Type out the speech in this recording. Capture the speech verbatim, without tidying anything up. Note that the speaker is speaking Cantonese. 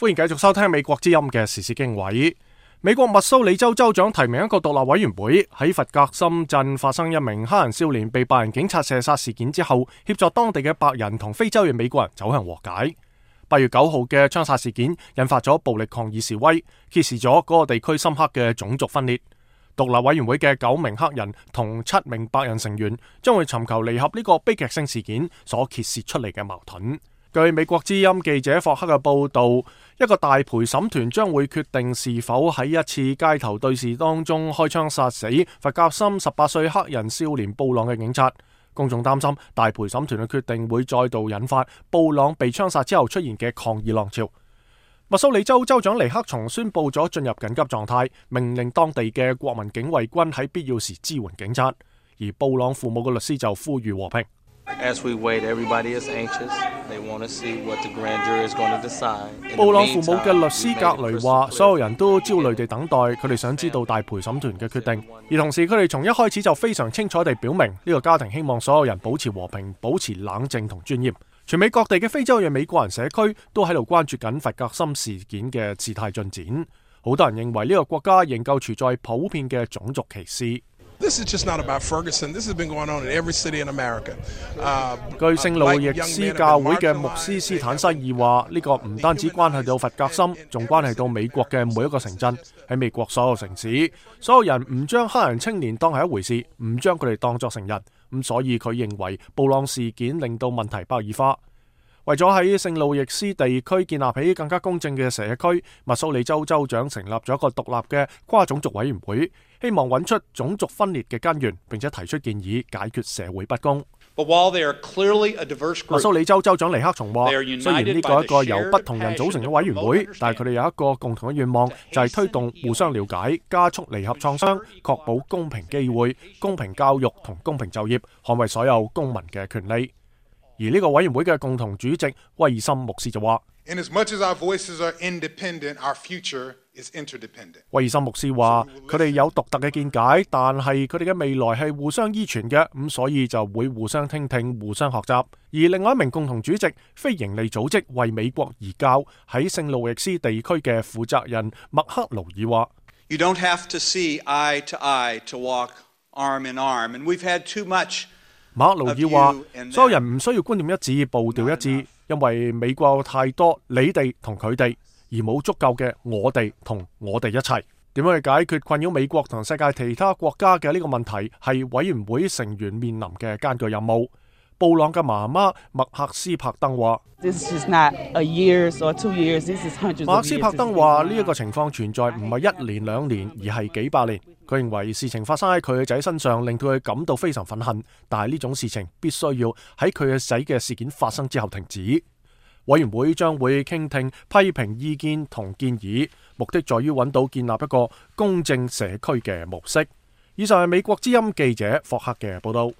歡迎繼續收聽美國之音嘅時事經緯。美國密蘇里州州長提名一個獨立委員會，喺弗格森鎮發生一名黑人少年被白人警察射殺事件之後，協助當地嘅白人同非洲裔美國人走向和解。八月九號嘅槍殺事件引發咗暴力抗議示威，揭示咗嗰個地區深刻嘅種族分裂。獨立委員會嘅九名黑人同七名白人成員將會尋求彌合呢個悲劇性事件所揭示出嚟嘅矛盾。據美國之音記者霍克嘅報道，一個大陪審團將會決定是否喺一次街頭對峙當中開槍殺死弗格森十八歲黑人少年布朗嘅警察。公眾擔心大陪審團嘅決定會再度引發布朗被槍殺之後出現嘅抗議浪潮。密蘇里州州長尼克松宣布咗進入緊急狀態，命令當地嘅國民警衛軍喺必要時支援警察。而布朗父母嘅律師就呼籲和平。As we wait, everybody is anxious. They want to see what the grand jury is going to decide. 布朗父母嘅律師格雷話，所有人都焦慮地等待，佢哋想知道大陪審團嘅決定，而同時佢哋從一開始就非常清楚地表明，呢個家庭希望所有人保持和平、保持冷靜同尊嚴。全美各地嘅非洲裔美國人社區都喺度關注緊弗格森事件嘅事態進展。好多人認為呢個國家仍舊存在普遍嘅種族歧視。This is just not about Ferguson. This has been going on in every city in America. 據聖路易斯教會嘅牧師斯坦西爾話，呢個唔單止關係到弗格森，仲關係到美國嘅每一個城鎮。喺美國所有城市，所有人唔將黑人青年當係一回事，唔將佢哋當作成人。咁所以佢認為布朗事件令到問題白熱化。為咗喺聖路易斯地區建立起更加公正嘅社區，密蘇里州州長成立咗一個獨立嘅跨種族委員會，希望揾出種族分裂嘅根源，並且提出建議解決社會不公。But while they are clearly a diverse group, 密蘇里州州長尼克松話，雖然呢個係一個由不同人組成嘅委員會，但係佢哋有一個共同嘅願望，就係推動互相了解，加速彌合創傷，確保公平機會、公平教育同公平就業，捍衛所有公民嘅權利。而呢個委員會嘅共同主席威爾森牧師就話，威爾森牧師話佢哋有獨特嘅見解，但係佢哋嘅未來係互相依存嘅，咁所以就會互相聽聽、互相學習。而另外一名共同主席非營利組織為美國而教喺聖路易斯地區嘅負責人麥克勞爾話， You don't have to see eye to eye to walk arm in arm, and we've had too much。馬克勞爾話，所有人唔需要觀念一致、步調一致，因為美國有太多你哋同佢哋，而冇足夠嘅我哋同我哋一齊。點樣去解決困擾美國同世界其他國家嘅呢個問題，係委員會成員面臨嘅艱巨任務。布朗嘅媽媽麥克斯柏登話，馬克斯柏登話呢一個情況存在唔係一年兩年，而係幾百年。佢認為事情發生喺佢嘅仔身上，令到佢感到非常憤恨，但係呢種事情必須要喺佢嘅仔嘅事件發生之後停止。委員會將會傾聽批評意見同建議，目的在於揾到建立一個公正社區嘅模式。以上係美國之音記者霍克嘅報道。